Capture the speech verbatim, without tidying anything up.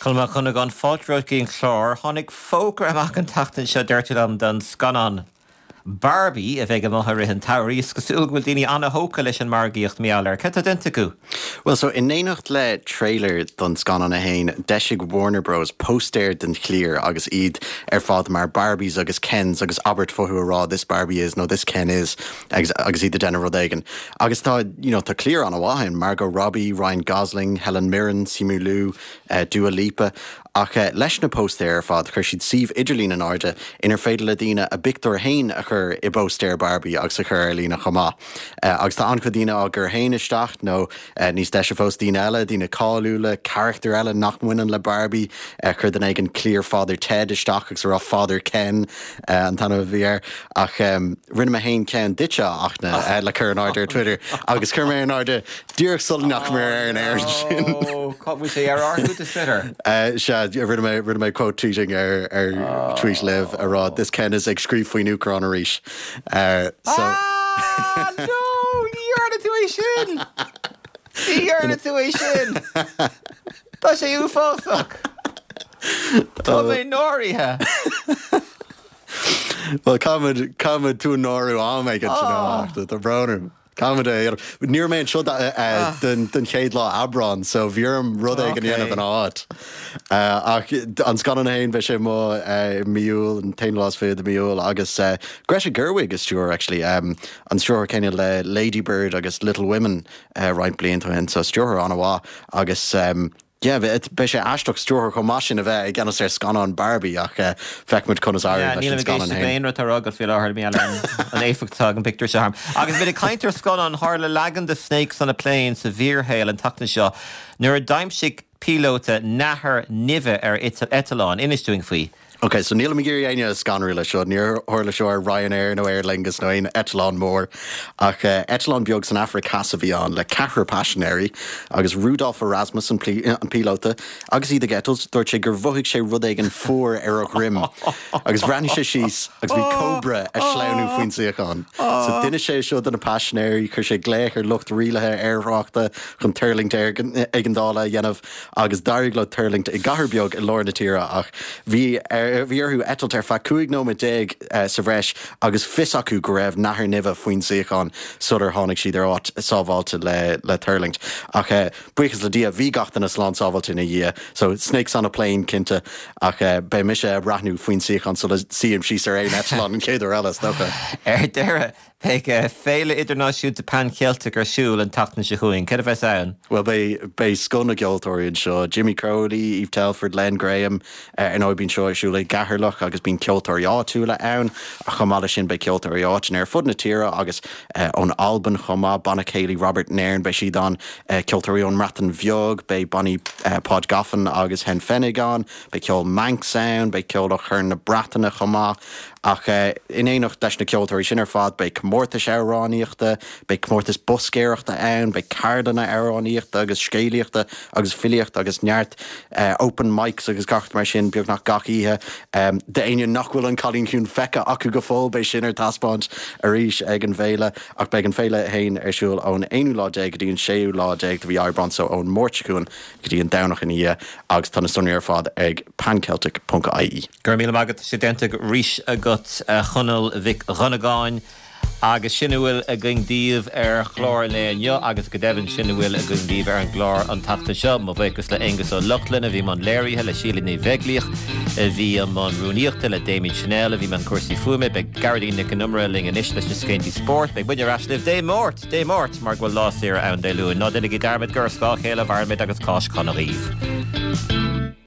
Conall Mac Dhonnagáin fáilte romhat go dtí an clár tháinig fógra amach an tseachtain seo deir tú liom don scannán Barbie a bheidh amach i rith an tsamhraidh is cosúil go bhfuil daoine an-tógtha leis an margaíocht mar gheall air. Cad tá déanta acu? Well so in éineacht le trailer don scannán é féin d'eisigh Warner Bros póstaer den chliar agus iad ar fad mar Barbies agus Kens agus abairt fúthu ag rá this Barbie is nó this Ken is agus, agus iad ag déanamh rud éigin. Agus tá you know, tá cliar an-mhaith Margot Robbie, Ryan Gosling, Helen Mirren, Simu Liu, uh, Dua Lipa ach uh, leis na póstaer ar fad chuir siad suíomh idirlín in airde inar féidir le daoine a bpictiúr féin a chur i bpóstaer Barbie agus a chur ar líne chomh maith. Uh, agus tá an-chuid daoine á gcur féin isteach nó uh, níos deise fós daoine eile, daoine cáiliúla, carachtair eile nach mbaineann le Barbie uh, chuir duine éigin cliar Father Ted isteach agus rá Father Ken uh, an t-ainm a bhí air ach um, rinne mé féin ceann duitse ach uh, le cur in airde ar Twitter agus chuir mé in airde díreach sula ndeachaigh mé ar an air sin. Bhí sé ar ar Twitter. Uh, sea rinne mé rinne mé quote tweeting ar ar oh. tweet libh a rá this Ken is ag scríobh faoin Úcráin arís. Uh, so ah, no ní dhearna tú é sin Ní dhearna tú é sin Tá sé uafásach Tá mé náirithe. Well caithfidh caithfidh tú náiriú am ag tá brón. Caithfidh é Níor mé seo den den chéad lá Aibreán, so bhí orm rud éigin a dhéanamh ina áit. Ach an scannán féin beidh sé amuigh mí Iúil an t-aonú lá is fiche de mí Iúil agus Greta Gerwig is stiúir actually um, an stiúrthóir céanna le Lady Bird agus Little Women uh, roinnt blianta ó shin, so stiúrthóir an-mhaith agus um, Yeah, beidh sé aisteach stiúrthóir chomh maith sin a bheith i gceannas ar scannán Barbie ach uh, feicfimid conas a Níl scannán rud rá go fi láthair mé an éifeacht an pictiúr seo. Agus bhí caint ar scannán tharla leagan de Snakes on a Plane sa bhfíorshaol an tseachtain seo nuair a d'aimsigh píolóta nathair nimhe ar eitleán inis dúinn faoi. Ok, so níl mé ag iarraidh éinne a scanrú le seo, níor tharla seo ar Ryanair nó Aer Lingus nó aon eitleán mór ach uh, eitleán beag san Afraic Theas a bhí ann le ceathrar paisinéirí agus Rudolf Erasmus an, an píolóta agus iad ag eitilt dúirt sé gur mhothaigh sé rud éigin fuar ar a dhroim agus bhreathnaigh sé síos agus bhí cobra ag sleamhnú faoin suíochán. So d'inis sé seo do na paisinéirí chuir sé glaoch ar lucht rialaithe aertráchta chun tuirlingt éigeandála a dhéanamh agus d'éirigh leo tuirlingt i gcathair beag i lár na tíre ach bhí ar bhí orthu eitilt ar feadh cúig nóiméad déag uh, sa bhreis agus fios acu go raibh nathair nimhe faoin suíochán sular tháinig siad ar áit sábháilte le le tuirlingt. Ach uh, buíochas le Dia bhí gach duine slán sábháilte ina dhiaidh, so snakes on a plane cinnte ach uh, beidh mise ag breathnú faoin suíochán sula suím síos ar aon eitleán an chéad uair eile dócha. Ar deireadh beidh féile idirnáisiúnta Pan Celtic ar siúl an tseachtain seo chugainn, cé a bheas ann? Well beidh beidh scoth na gceoltóirí anseo, Jimmy Crowley, Eve Telford, Len Graham ar ndóigh bíonn seo ar siúl i gCeatharlach agus bíonn ceoltóirí áitiúla ann a chomh maith leis sin beidh ceoltóirí áiteanna ar fud na tíre agus uh, ón Albain chomh maith banna céilí Robert Nairn beidh siad ann uh, ceoltóirí ón mBreatain Bheag, beidh bannaí uh, Pod Goffin agus Hen Fennig ann, beidh ceol Manx ann, beidh ceol ó Chorn na Breataine chomh maith ach uh, in éineacht leis na ceoltóirí sin ar fad beidh comórtais amhránaíochta, beidh comórtas boscaireachta ann, beidh ceardlanna amhránaíochta agus scéalaíochta agus filíochta agus neart uh, open mics agus gach mar sin beagnach gach oíche. Um, D'éinne nach bhfuil an Cailín Ciúin feicthe acu go fóill beidh sin ar taispeáint arís ag an bhféile ach beidh an féile féin ar siúl ón aonú lá déag go dtí an séú lá déag de mhí Aibreán so ón Máirt chugainn go dtí an Domhnach ina dhiaidh agus tá na sonraí ar fad ag panceltic.ie. Gur mí agad sé denta ríis agat Chonaill Mhic Dhonnagáin. Agus sin a bhfuil againn daoibh ar chlár an lae inniu agus go deimhin sin a bhfuil againn daoibh ar an gclár an tseachtain seo, mo bhuíochas le Aonghus Ó Lochlainn a bhí i mbun léirithe le Síle Ní Bheaglíoch a bhí i mbun rúnaíochta le Damien Chanel a bhí i mbun cúrsaí fuaime, beidh Gearóidín Nic an Iomaire linn anois leis na scéalta spóirt, beidh muid ar ais libh Dé Máirt, Dé Máirt mar go bhfuil lá saoire ann Dé Luain, ná déanaigí dearmad gur ar scáth a chéile a mhairimid agus Cáisc shona dhaoibh.